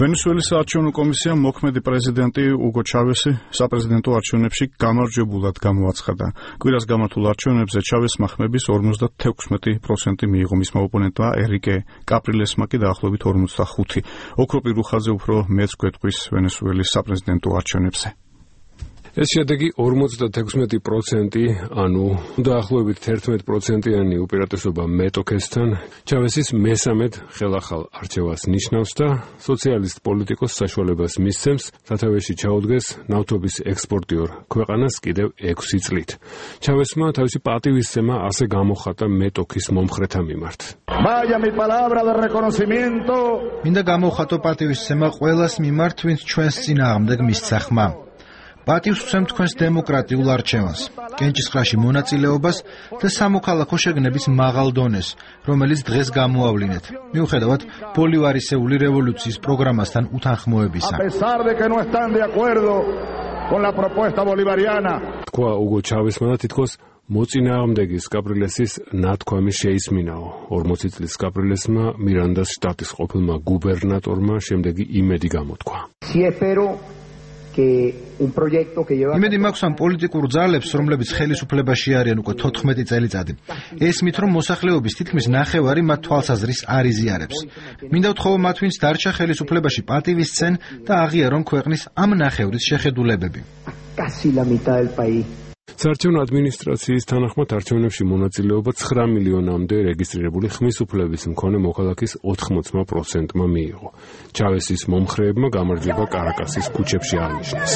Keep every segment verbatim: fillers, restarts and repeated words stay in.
ვენესუელის საარჩევნო კომისიამ მოქმედი პრეზიდენტი უგო ჩავესი საპრეზიდენტო არჩევნებში გამარჯვებულად გამოაცხადა. კვირას გამართულ არჩევნებზე ჩავესმა ხმების ორმოცდათექვსმეტი პროცენტი მიიღო, მისმა ოპონენტმა ერიკე კაპრილესმა კი დაახლოებით ორმოცდახუთი. ოქროპი რუხაძე უფრო მეც გვეტყვის ვენესუელის საპრეზიდენტო არჩევნებზე. ეს შედეგი ორმოცდათექვსმეტი პროცენტი, ანუ დაახლოებით თერთმეტი პროცენტიანი უპირატესობა მეტოქესთან, ჩავესის მესამედ ხელახალ არჩევას ნიშნავს და სოციალისტ პოლიტიკოს საშუალებას მისცემს სათავეში ჩაუდგეს ნავთობის ექსპორტიორ ქვეყანას კიდევ ექვსი წლით. ჩავესმა თავისი პატივისცემა ასე გამოხატა მეტოქის მომხრეთა მიმართ. მინდა გამოვხატო პატივისცემა ყველას მიმართ, ვინც ჩვენს წინააღმდეგ მისცა ხმა. პატივს ვცემ თქვენს დემოკრატიულ არჩევანს, კენჭისყრაში მონაწილეობას და სამოქალაქო შეგნების მაღალ დონეს, რომელიც დღეს გამოავლინეთ, მიუხედავად ბოლივარისეული რევოლუციის პროგრამასთან უთანხმოებისა. თქვა უგო ჩავესმა და თითქოს მოწინააღმდეგის კაპრილესის ნათქვამი შეისმინაო. ორმოცი წლის კაპრილესმა მირანდას შტატის ყოფილმა გუბერნატორმა შემდეგი იმედი გამოთქვა. იმედი მაქვს ამ პოლიტიკურ ძალებს, რომლებიც ხელისუფლებაში არიან უკვე თოთხმეტი წელიწადი. ესმით, რომ მოსახლეობის თითქმის ნახევარი მათ თვალსაზრის არ იზიარებს. მინდა ვთხოვო მათ, ვინც დარჩა ხელისუფლებაში პატივისცენ და აღიარონ ქვეყნის ამ ნახევრის შეხედულებები. საარჩევნო ადმინისტრაციის თანახმად არჩევნებში მონაწილეობა ცხრა მილიონამდე რეგისტრირებული ხმის უფლების მქონე მოქალაქის ოთხმოცი პროცენტმა მიიღო. ჩავესის მომხრეებმა გამარჯვება კარაკასის ქუჩებში აღნიშნეს.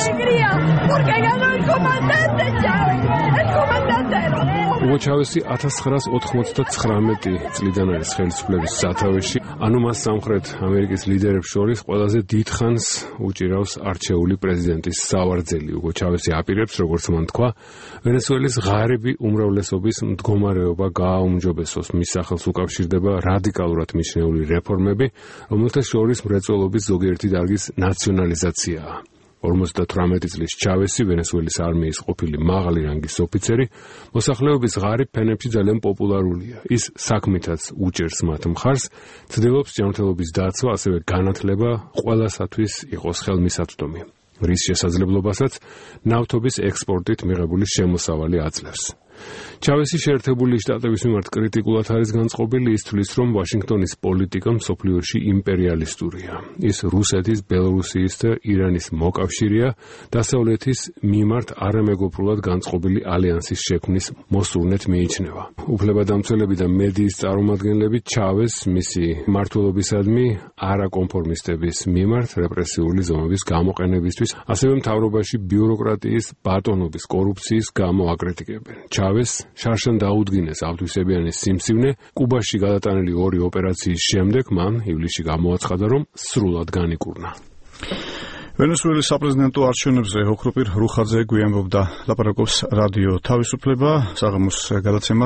უგო ჩავესი ათას ცხრაას ოთხმოცდათხრამეტი წლიდან არის ხელისუფლების სათავეში, ანუ მას სამხრეთ ამერიკის ლიდერებს შორის ყველაზე დიდხანს უჭირავს არჩეული პრეზიდენტის სავარძელი. უგო ჩავესი აპირებს, როგორც მან თქვა, ვენესუელის ღარიბი უმრავლესობის მდგომარეობა გააუმჯობესოს. მის სახელს უკავშირდება რადიკალურად მიჩნეული რეფორმები, რომელთა შორის მრეწველობის ზოგიერთი დარგის ნაციონალიზაციაა. ორმოცდათვრამეტი წლის ჩავესი, ვენესუელის არმიის ყოფილი მაღალი რანგის ოფიცერი, მოსახლეობის ღარიბ ფენებში ძალიან პოპულარულია. ის საქმითაც უჭერს მათ მხარს, ცდილობს ჯანმრთელობის დაცვა, ასევე განათლება ყველასათვის იყოს ხელმისაწვდომი, რის შესაძლებლობასაც ნავთობის ექსპორტით მიღებული შემოსავალი აძლევს. ჩავესი შეერთებული შტატების მიმართ კრიტიკულად არის განწყობილი, ის თვლის, რომ ვაშინგტონის პოლიტიკა მსოფლიოში იმპერიალისტურია. ის რუსეთის, ბელორუსიის და ირანის მოკავშირეა, დასავლეთის მიმართ არამეგობრულად განწყობილი ალიანსის შექმნის მოსურნეთ მიიჩნევა. უფლებადამცველები და მედიის წარმომადგენლები ჩავეს მისი მმართველობისადმი არაკონფორმისტების მიმართ რეპრესიული ზომების გამოყენებისთვის, ასევე მთავრობაში ბიუროკრატიის, ბატონობის, კორუფციის გამო აკრიტიკებენ. ჩავეს შარშან დაუდგინეს ავთვისებიანი სიმსივნე. კუბაში გადატანილი ორი ოპერაციის შემდეგ მან ივლისში გამოაცხადა, რომ სრულად განიკურნა. ვენესუელის საპრეზიდენტო არჩევნებზე ოქროპი რუხაძე გვიანბობდა, ლაპარაკობს რადიო თავისუფლება, საღამოს გადაცემა